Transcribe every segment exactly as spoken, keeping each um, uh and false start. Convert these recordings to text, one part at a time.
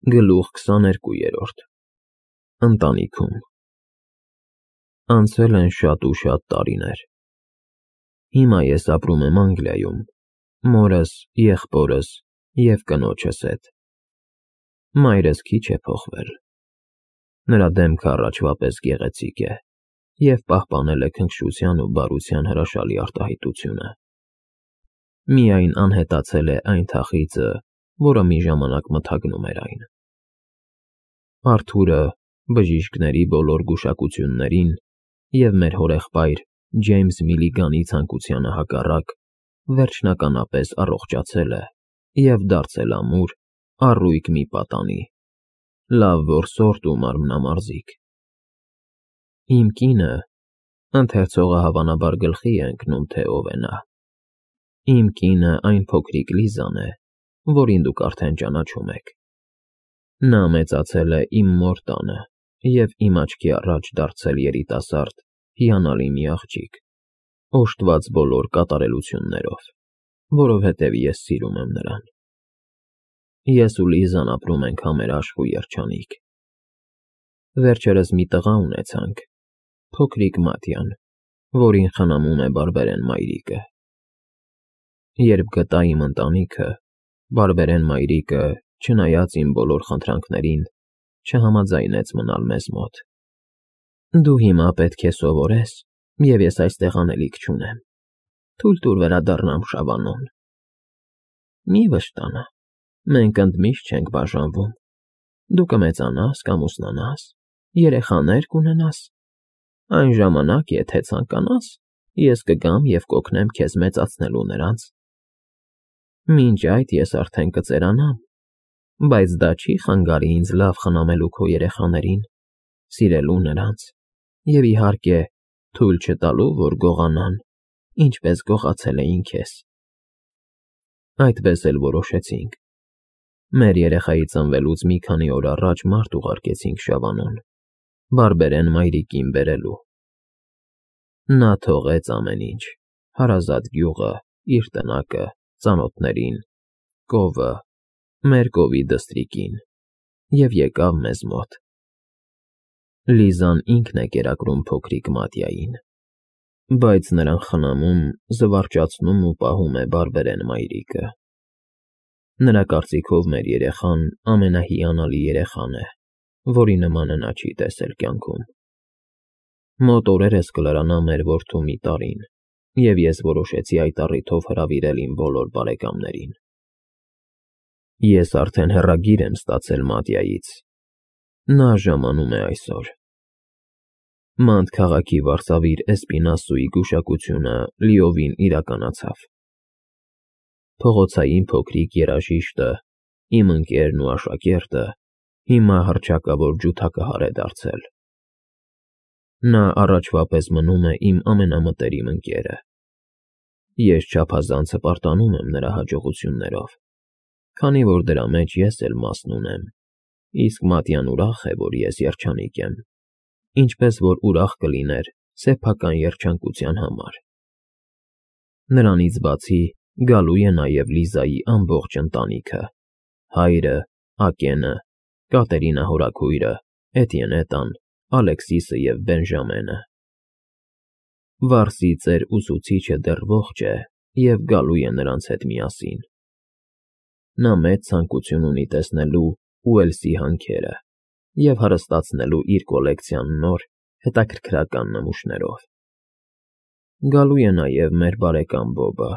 Գլուխ քսաներկուերորդ Ընտանիքում Անցել են շատ ու շատ տարիներ։ Հիմա ես ապրում եմ Անգլիայում, մորս, եղբորս և կնոջս հետ։ Մայրս քիչ է փոխվել։ Նրա դեմքը առաջվա պես գեղեցիկ է և պահպանել է քնքշության ու բարության հրաշալի արտահայտությունը։ Միայն անհետացել է այն թախիծը, որը մի ժամանակ մթագնում էր այն։ Արթուրը բժիշկների բոլոր գուշակություններին և մեր հորեղբայր Ջեյմս Միլիգանի ցանկությանը հակառակ վերջնականապես առողջացել է և դարձել ամուր, առույգ մի պատանի, լավ որսորդ ու մարմնամարզիկ։ Իմ կինը, ընթերցողը հավանաբար գլխի է ընկնում, թե ով է նա։ Իմ կինը այն փոքրիկ Լիզան է, որին դուք արդեն ճանաչում եք։ Նա մեծացել է իմ մոր տանը և իմ աչքի առաջ դարձել երիտասարդ, հիանալի մի աղջիկ, օժտված բոլոր կատարելություններով, որովհետև ես սիրում եմ նրան։ Ես ու Լիզան ապրում ենք համերաշխ ու երջանիկ։ Վերջերս մի տղա ունեցանք, փոքրիկ Մատյան, որին խնամում է բարբերեն մայրիկը։ Երբ գտա իմ ընտանիքը, բարբերեն մայրիկը, չնայած իմ բոլոր խնդրանքներին, չհամաձայնեց մնալ մեզ մոտ։ Դու հիմա պետք է սովորես, և ես այստեղ անելիք չունեմ, թույլ տուր վերադառնամ Շավանոն։ Մի վշտանա, մենք ընդմիշտ չենք բաժանվում, դու կմեծանաս, կամուսնանաս, երեխաներ կունենաս, այն ժամանակ, եթե ցանկանաս, ես կգամ և կօգնեմ քեզ մեծացնելու նրանց։ Մինչ այդ ես արդեն կծերանամ, բայց դա չի խանգարի ինձ լավ խնամելու քո երեխաներին, սիրելու նրանց և, իհարկե, թույլ չտալու, որ գողանան, ինչպես գողացել էին քեզ։ Այդպես էլ որոշեցինք։ Մեր երեխայի ծնվելուց մի քանի օր առաջ մարդ ուղարկեցինք Շավանոն, բարբերեն մայրիկին բերելու։ Նա թողեց ամեն ինչ՝ հարազատ գյուղը, իր տնակը, ծանոթներին, կովը, մեր կովի դստրիկին և եկավ մեզ մոտ։ Լիզան ինքն է կերակրում փոքրիկ Մատյային, բայց նրան խնամում, զվարճացնում ու պահում է բարբերեն մայրիկը։ Նրա կարծիքով մեր երեխան ամենահիանալի երեխան է, որի նմանը նա չի տեսել կյանքում։ Մոտ օրերս կլրանա մեր որդու մի տարին, և ես որոշեցի այդ առիթով հրավիրել իմ բոլոր բարեկամներին։ Ես արդեն հեռագիր եմ ստացել Մատյայից։ Նա ժամանում է այսօր։ Մանտ քաղաքի վարսավիր Էսպինասուի գուշակությունը լիովին իրականացավ։ Փողոցային փոքրիկ երաժիշտը, իմ ընկերն ու աշակերտը, հիմա հռչակավոր ջութակահար է դարձել։ Նա առաջվա պես մնում է իմ ամենամտերիմ ընկերը։ Ես չափազանց հպարտանում եմ նրա հաջողություններով, քանի որ դրա մեջ ես էլ մասն ունեմ, իսկ Մատյան ուրախ է, որ ես երջանիկ եմ, ինչպես որ ուրախ կլիներ սեփական երջանկության համար։ Նրանից բացի գալու է նաև Լիզայի ամբողջ ընտանիքը՝ հայրը, Ակենը, Կատերինա հորաքույրը, Էտիենետան, Ալեքսիսը և Բենժամենը։ Վարսի ծեր ուսուցիչը դեռ ողջ է և գալու է նրանց հետ միասին։ Նա մեծ ցանկություն ունի տեսնելու Ուելսի հանքերը և հարստացնելու իր կոլեկցիան նոր, հետաքրքրական նմուշներով։ Գալու է նաև մեր բարեկամ Բոբը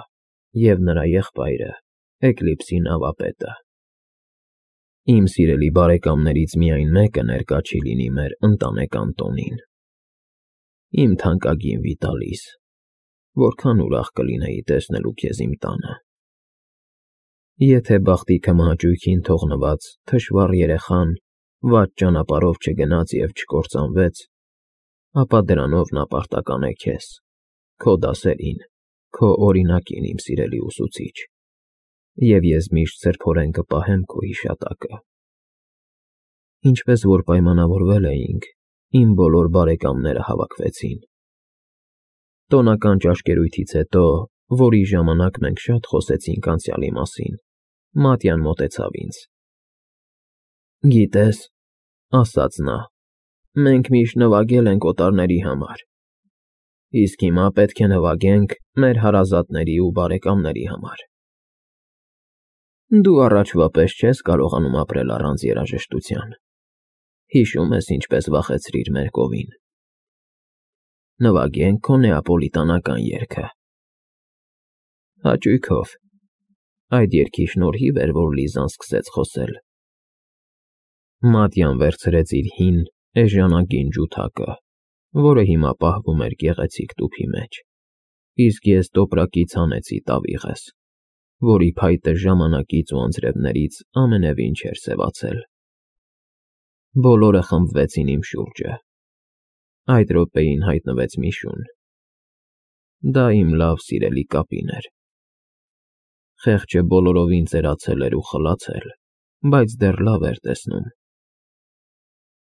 և նրա եղբայրը՝ Էկլիպսի նավապետը։ Իմ սիրելի բարեկամներից միայն մեկը ներկա չի լինի մեր ընտանեկան տոնին։ Իմ թանկագին Վիտալիս, որքան ուրախ կլինեի տեսնելու քեզ իմ տանը։ Եթե բախտի քմահաճույքին թողնված թշվառ երեխան վատ ճանապարհով չգնաց և չկործանվեց, ապա դրանով նա պարտական է քեզ, քո դասերին, քո օրինակին, իմ սիրելի ուսուցիչ, և ես միշտ սրբորեն կպահեմ քո հիշատակը։ Ինչպես որ պայմանավորվել էինք, իմ բոլոր բարեկամները հավաքվեցին։ Տոնական ճաշկերույթից հետո, որի ժամանակ մենք շատ խոսեցինք անցյալի մասին, Մատյան մոտեցավ ինձ։ Գիտես, ասաց նա, մենք միշտ նվագել ենք օտարների համար, իսկ հիմա պետք է նվագենք մեր հարազատների ու բարեկամների համար։ Դու առաջվա պես չես կարողանում ապրել առանց երաժշտության, հիշում ես ինչպես վախեցրիր մեր կովին։ Նվագենք քո նեապոլիտանական երգը։ Հաճույքով, այդ երգի շնորհիվ էր, որ Լիզան սկսեց խոսել։ Մատյան վերցրեց իր հին, էժանագին ջութակը, որը հիմա պահվում էր գեղեցիկ տուփի մեջ, իսկ ես տոպրակից հանեցի տավիղս, որի փայտը ժամանակից ու անձրևներից ամենևին չէր սևացել։ Բոլորը խմբվեցին իմ շուրջը։ Այդ րոպեին հայտնվեց մի շուն։ Դա իմ լավ սիրելի կապին էր։ Խեղճը բոլորովին ծերացել էր ու խլացել, բայց դեռ լավ էր տեսնում։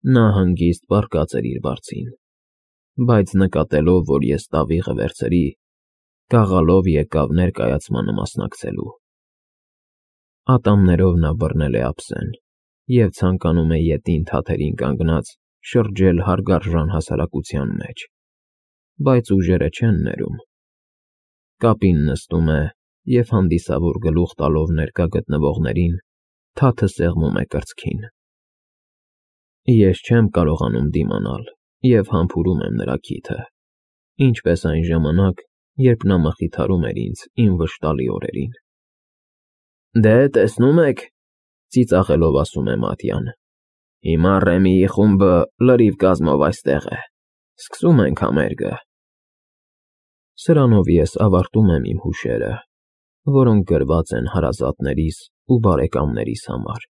Նա հանգիստ պառկած էր իր բարձին, բայց նկատելով, որ ես տավիղը վերցրի, գաղալով եկավ ներկայացմանը մասնակցելու։ Ատամներով նա բռնել է ափսեն և ցանկանում է ետին թաթերին կանգնած շրջել հարգարժան հասարակության մեջ, բայց ուժերը չեն ներում։ Կապին նստում է և հանդիսավոր գլուխ տալով ներկա գտնվողներին թաթը սեղմում է կրծքին։ Ես չեմ կարողանում դիմանալ և համբուրում եմ նրա քիթը, ինչպես այն ժամանակ, երբ նա մխիթարում էր ինձ իմ վշտալի օրերին։ Դե, տեսնում եք, ծիծաղելով ասում է Մատյան, հիմա Ռեմիի խումբը լրիվ կազմով այստեղ է, սկսում ենք համերգը։ Սրանով ես ավարտում եմ իմ հուշերը, որոնք գրված են հարազատներիս ու բարեկամներիս համար։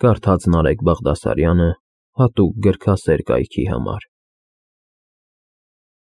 Կարդաց Նարեկ Բաղդասարյանը հատուկ գրքասեր կայքի համար։